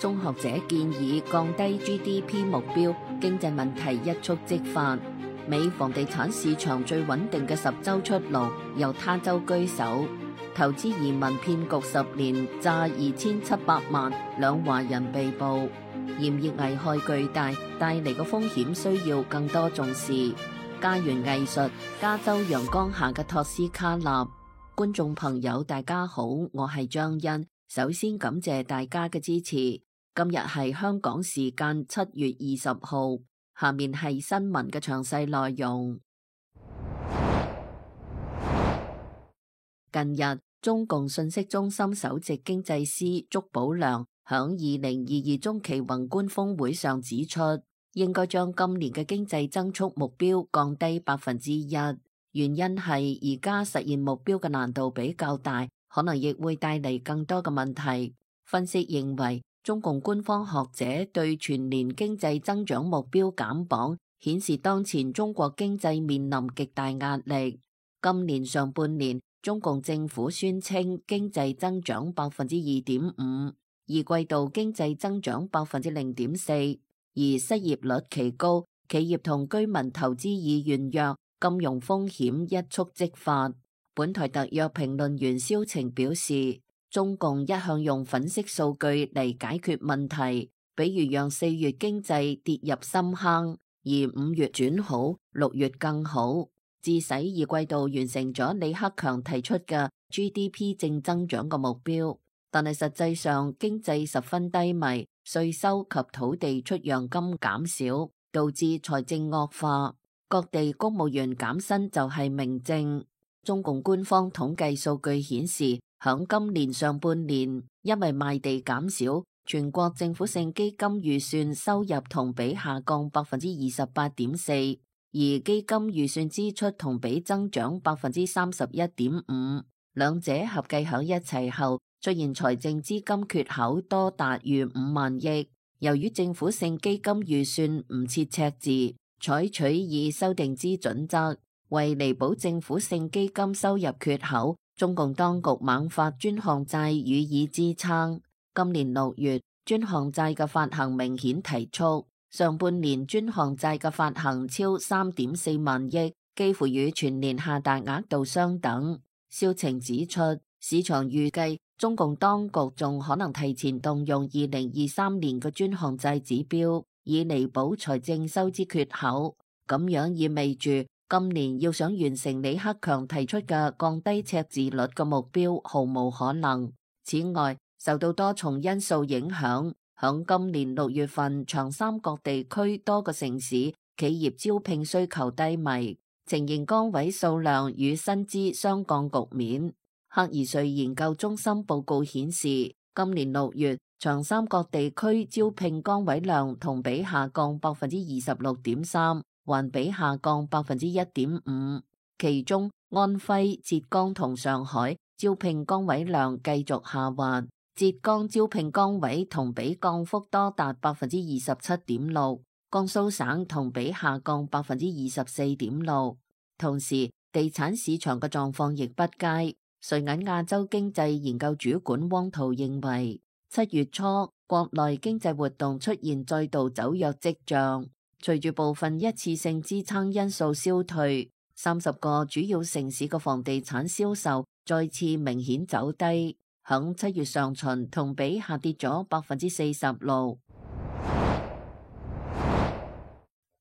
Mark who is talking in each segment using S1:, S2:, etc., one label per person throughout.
S1: 中學者建議降低 GDP 目標，經濟問題一觸即發。美房地產市場最穩定嘅10州出爐，由他州居首。投資移民騙局10年詐2700萬，兩華人被捕。炎熱危害巨大，帶嚟嘅風險需要更多重視。家園藝術，加州陽光下嘅托斯卡納。觀眾朋友大家好，我係張欣，首先感謝大家嘅支持。今日係香港時間7月20號，下面係新聞嘅詳細內容。近日，中共信息中心首席經濟師竺寶良響2022中期宏觀峰會上指出，應該將今年嘅經濟增速目標降低1%，原因係而家實現目標嘅難度比較大，可能亦會帶嚟更多嘅問題。分析認為，中共官方學者對全年經濟增長目標減磅，顯示當前中國經濟面臨極大壓力。今年上半年，中共政府宣稱經濟增長2.5%，二季度經濟增長0.4%，而失業率奇高，企業同居民投資意願弱，金融風險一觸即發。本台特約評論員蕭晴表示，中共一向用粉飾數據嚟解決問題，比如讓4月經濟跌入深坑，而5月轉好，6月更好，致使二季度完成咗李克強提出嘅 GDP 正增長嘅目標。但係實際上經濟十分低迷，稅收及土地出讓金減少，導致財政惡化，各地公務員減薪就係明證。中共官方統計數據顯示，響今年上半年，因為賣地減少，全國政府性基金預算收入同比下降28.4%，而基金預算支出同比增長31.5%，兩者合計響一齊後，出現財政資金缺口多達逾5萬億。由於政府性基金預算唔設赤字，採取以修訂之準則，為彌補政府性基金收入缺口，中共當局猛發專項債予以支撐。今年6月，專項債嘅發行明顯提速，上半年專項債嘅發行超3.4萬億，幾乎與全年下達額度相等。蕭晴指出，市場預計中共當局仲可能提前動用2023年嘅專項債指標，以彌補財政收支缺口。咁樣意味住今年要想完成李克強提出嘅降低赤字率嘅目標，毫無可能。此外，受到多重因素影響，響今年6月份，長三角地區多個城市企業招聘需求低迷，呈現崗位數量與薪資相降局面。赫爾瑞研究中心報告顯示，今年6月，長三角地區招聘崗位量同比下降26.3%，環比下降1.5%。其中，安徽、浙江同上海招聘崗位量繼續下滑，浙江招聘崗位同比降幅多達27.6%，江蘇省同比下降24.6%。同時，地產市場嘅狀況亦不佳。瑞銀亞洲經濟研究主管汪濤認為，7月初國內經濟活動出現再度走弱跡象，隨住部分一次性支撐因素消退，30個主要城市嘅房地產銷售再次明顯走低，響7月上旬同比下跌咗46%。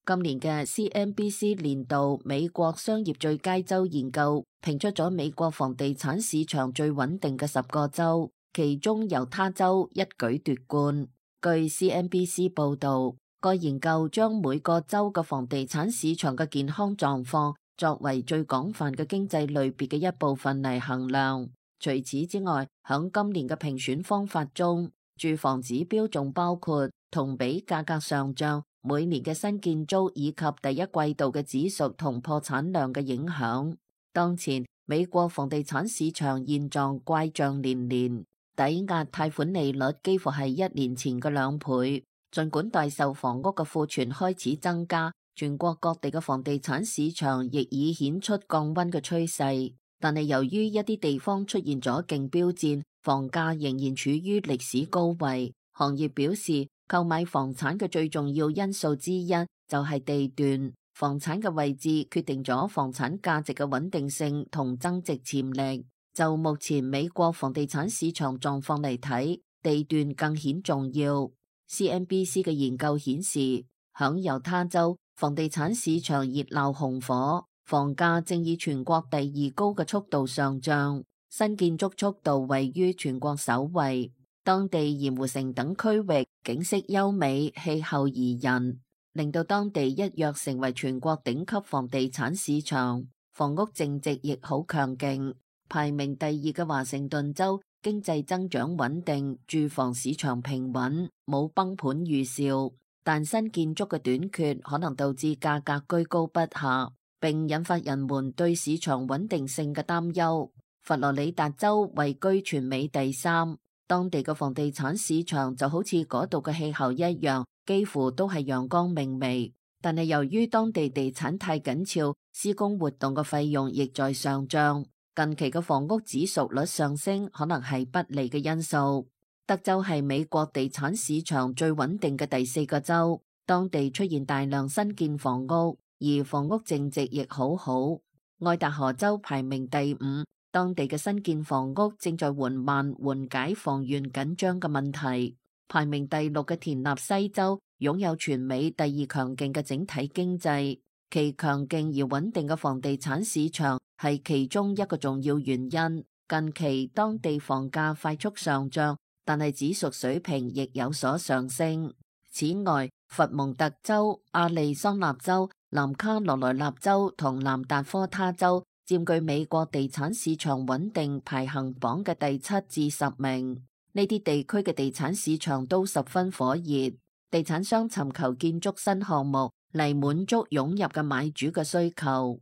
S1: 今年嘅 CNBC 年度美國商業最佳州研究評出咗美國房地產市場最穩定嘅10個州，其中猶他州一舉奪冠。據 CNBC 報道，該研究將每個州嘅房地產市場嘅健康狀況作為最廣泛嘅經濟類別嘅一部分嚟衡量。除此之外，響今年嘅評選方法中，住房指標仲包括同比價格上漲、每年嘅新建租以及第一季度嘅指數同破產量嘅影響。當前美國房地產市場現狀怪象連連，抵押貸款利率幾乎係1年前嘅2倍。儘管待售房屋嘅庫存開始增加，全國各地嘅房地產市場亦已顯出降溫嘅趨勢，但係由於一啲地方出現咗競標戰，房價仍然處於歷史高位。行業表示，購買房產嘅最重要因素之一就係地段，房產嘅位置決定咗房產價值嘅穩定性同增值潛力。就目前美國房地產市場狀況嚟睇，地段更顯重要。CNBC 嘅研究顯示，響猶他州，房地產市場熱鬧紅火，房價正以全國第二高嘅速度上漲，新建築速度位於全國首位。當地鹽湖城等區域景色優美，氣候宜人，令到當地一躍成為全國頂級房地產市場。房屋淨值亦好強勁，排名第二嘅華盛頓州經濟增長穩定，住房市場平穩，冇崩盤預兆。但新建築嘅短缺可能導致價格居高不下，並引發人們對市場穩定性嘅擔憂。佛羅里達州位居全美第三。當地嘅房地產市場就好似嗰度嘅氣候一樣，幾乎都係陽光明媚。但係由於當地地產太緊俏，施工活動嘅費用亦在上漲。近期嘅房屋指數率上升，可能係不利嘅因素。德州係美國地產市場最穩定嘅第四個州，當地出現大量新建房屋，而房屋淨值亦好好。愛達荷州排名第五。當地嘅新建房屋正在緩慢緩解房源緊張嘅問題。排名第六嘅田納西州擁有全美第二強勁嘅整體經濟，其強勁而穩定嘅房地產市場係其中一個重要原因。近期當地房價快速上漲，但係指數水平亦有所上升。此外，佛蒙特州、亞利桑那州、南卡羅來納州同南達科他州佔據美國地產市場穩定排行榜嘅第7至10名，呢啲地區嘅地產市場都十分火熱，地產商尋求建築新項目嚟滿足湧入嘅買主嘅需求。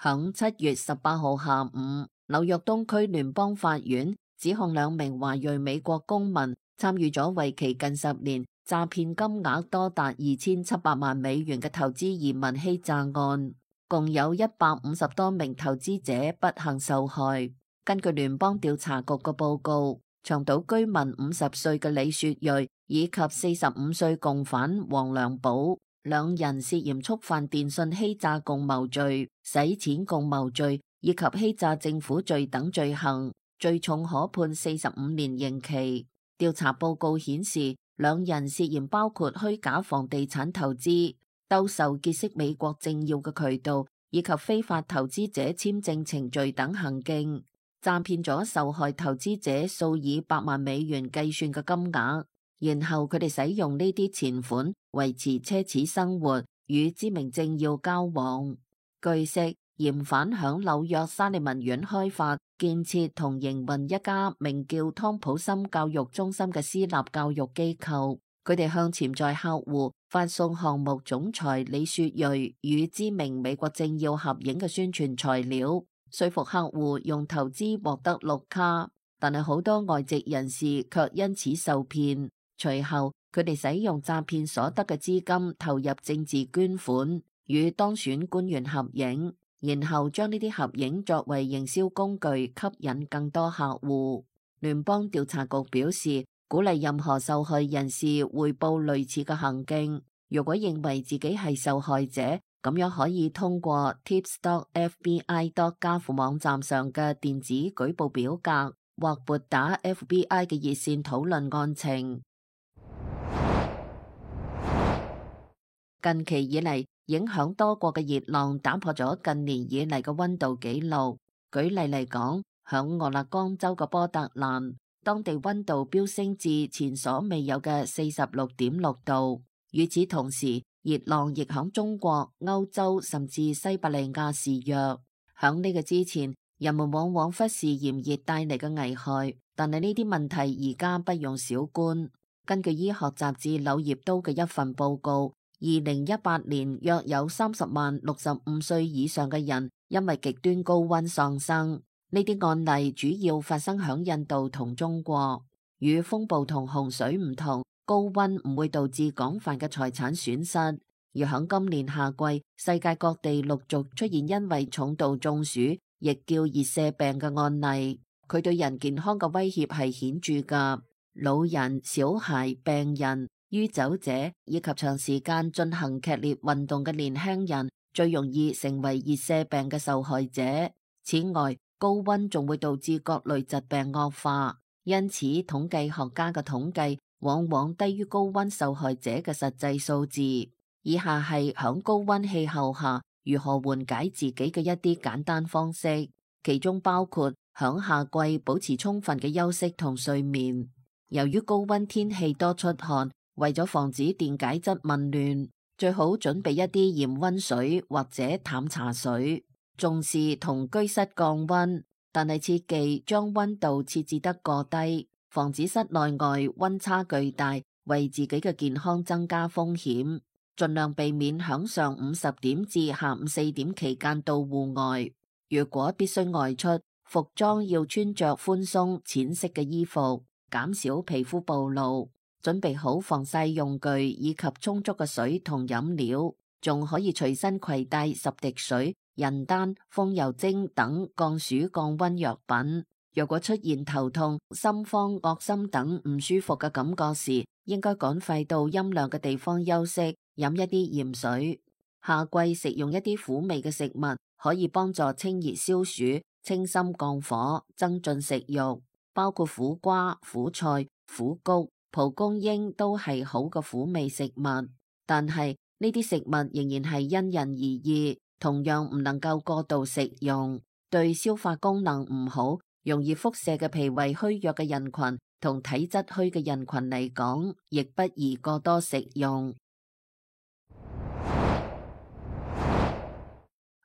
S1: 響7月18號下午，紐約東區聯邦法院指控2名華裔美國公民參與咗為期近10年、詐騙金額多達2700萬美元嘅投資移民欺詐案，共有150多名投資者不幸受害。根據聯邦調查局嘅報告，長島居民50歲嘅李雪芮以及45歲共犯黃良寶2人涉嫌觸犯電信欺詐共謀罪、洗錢共謀罪以及欺詐政府罪等罪行，最重可判45年刑期。調查報告顯示，2人涉嫌包括虛假房地產投資、兜售結識美國政要嘅渠道，以及非法投資者簽證程序等行徑，詐騙咗受害投資者數以百萬美元計算嘅金額，然後佢哋使用呢啲錢款維持奢侈生活，與知名政要交往。據悉，嫌犯響紐約沙利文苑開發、建設同營運一家名叫湯普森教育中心嘅私立教育機構，佢哋向潛在客戶發送項目總裁李雪芮與知名美國政要合影嘅宣傳材料，說服客戶用投資獲得綠卡，但係好多外籍人士卻因此受騙。隨後，佢哋使用詐騙所得嘅資金投入政治捐款，與當選官員合影，然後將呢啲合影作為營銷工具，吸引更多客戶。聯邦調查局表示，鼓勵任何受害人士匯報類似嘅行徑。如果認為自己係受害者，咁樣可以通過 tips.fbi.gov 網站上嘅電子舉報表格，或撥打 FBI 嘅熱線討論案情。近期以嚟，影響多國嘅熱浪打破咗近年以嚟嘅溫度紀錄。舉例嚟講，響俄勒岡州嘅波特蘭，當地溫度飆升至前所未有嘅46.6度。與此同時，熱浪亦響中國、歐洲甚至西伯利亞肆虐。響呢個之前，人們往往忽視炎熱帶嚟嘅危害，但係呢啲問題而家不容小觀。根據醫學雜誌《柳葉刀》嘅一份報告，2018年約有30萬65歲以上嘅人因為極端高溫喪生。呢啲案例主要發生響印度同中國。與風暴同洪水唔同，高溫唔會導致廣泛嘅財產損失。而響今年夏季，世界各地陸續出現因為重度中暑，亦叫熱射病嘅案例。佢對人健康嘅威脅係顯著㗎。老人、小孩、病人、酗酒者以及長時間進行劇烈運動嘅年輕人最容易成為熱射病嘅受害者。此外，高溫仲會導致各類疾病惡化，因此統計學家嘅統計往往低於高溫受害者嘅實際數字。以下係響高溫氣候下如何緩解自己嘅一啲簡單方式，其中包括響夏季保持充分嘅休息同睡眠。由於高溫天氣多出汗，為咗防止電解質紊亂，最好準備一啲鹽溫水或者淡茶水。重視同居室降溫，但係切忌將溫度設置得過低，防止室內外溫差巨大，為自己嘅健康增加風險。盡量避免響上午10點至下午4點期間到戶外。如果必須外出，服裝要穿着寬鬆淺色嘅衣服，減少皮膚暴露。準備好防曬用具以及充足嘅水同飲料，仲可以隨身攜帶10滴水、人丹、風油精等降暑降溫藥品。若果出現頭痛、心慌、噁心等唔舒服嘅感覺時，應該趕快到陰涼嘅地方休息，飲一啲鹽水。夏季食用一啲苦味嘅食物，可以幫助清熱消暑、清心降火、增進食慾，包括苦瓜、苦菜、苦菊、蒲公英都係好嘅苦味食物。但係呢啲食物仍然係因人而異，同樣唔能夠過度食用。對消化功能唔好、容易腹瀉嘅脾胃虛弱嘅人群同體質虛嘅人群嚟講，亦不宜過多食用。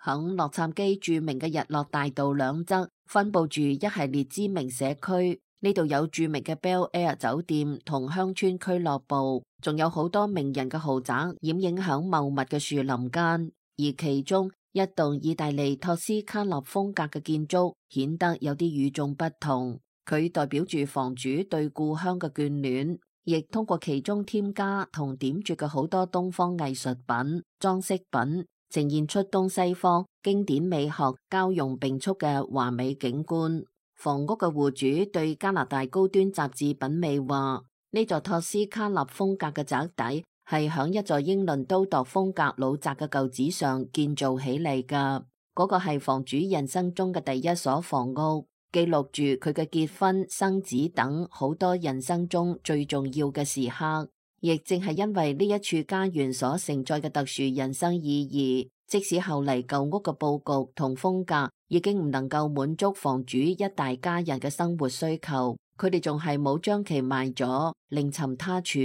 S1: 響洛杉磯著名嘅日落大道兩側分布住一系列知名社區，呢度有著名嘅 Bel Air 酒店同鄉村俱樂部，仲有好多名人嘅豪宅掩映響茂密嘅樹林間，而其中一棟意大利托斯卡納風格嘅建築顯得有啲與眾不同，佢代表住房主對故鄉嘅眷戀，亦通過其中添加同點綴嘅好多東方藝術品、裝飾品，呈現出東西方經典美學交融並蓄嘅華美景觀。房屋嘅戶主對加拿大高端雜誌品味話，呢座托斯卡納風格嘅宅邸係響一座英倫都鐸風格老宅嘅舊址上建造起嚟噶。嗰個係房主人生中嘅第一所房屋，記錄住佢嘅結婚、生子等好多人生中最重要嘅時刻。亦正係因為呢一處家園所承載嘅特殊人生意義，即使後嚟舊屋嘅佈局同風格已經唔能夠滿足房主一大家人嘅生活需求，佢哋仲係冇將其賣咗另尋他處，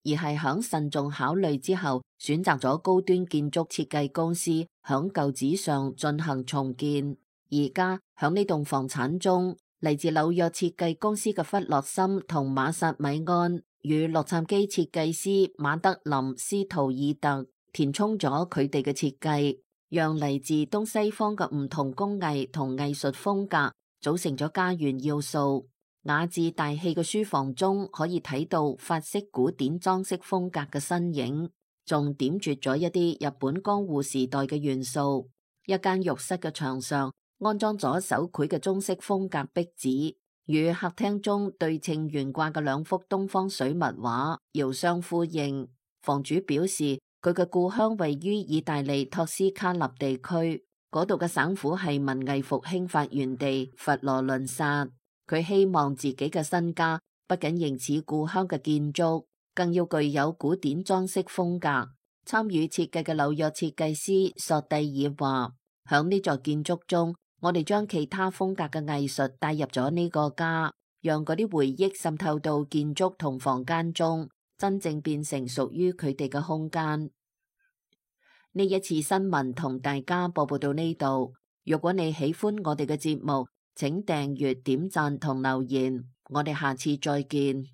S1: 而係響慎重考慮之後選擇咗高端建築設計公司響舊址上進行重建。而家響呢棟房產中，嚟自紐約設計公司嘅弗洛森同馬薩米安與洛杉磯設計師馬德林斯圖爾特填充咗佢哋嘅設計，讓嚟自東西方嘅唔同工藝同藝術風格組成咗家園要素。雅致大氣嘅書房中可以睇到法式古典裝飾風格嘅身影，仲點綴咗一啲日本江戶時代嘅元素。一間浴室嘅牆上安裝咗手繪嘅中式風格壁紙，與客廳中對稱懸掛嘅兩幅東方水墨畫遙相呼應。房主表示，佢嘅故鄉位於意大利托斯卡納地區，嗰度嘅省府係文藝復興發源地佛羅倫薩。佢希望自己嘅新家不僅形似故鄉嘅建築，更要具有古典裝飾風格。參與設計嘅紐約設計師索蒂爾話，響呢座建築中，我哋將其他風格嘅藝術帶入咗呢個家，讓嗰啲回憶滲透到建築同房間中，真正變成屬於佢哋嘅空間。呢一次新聞同大家播報到呢度。如果你喜歡我哋嘅節目，請訂閱、點讚同留言。我哋下次再見。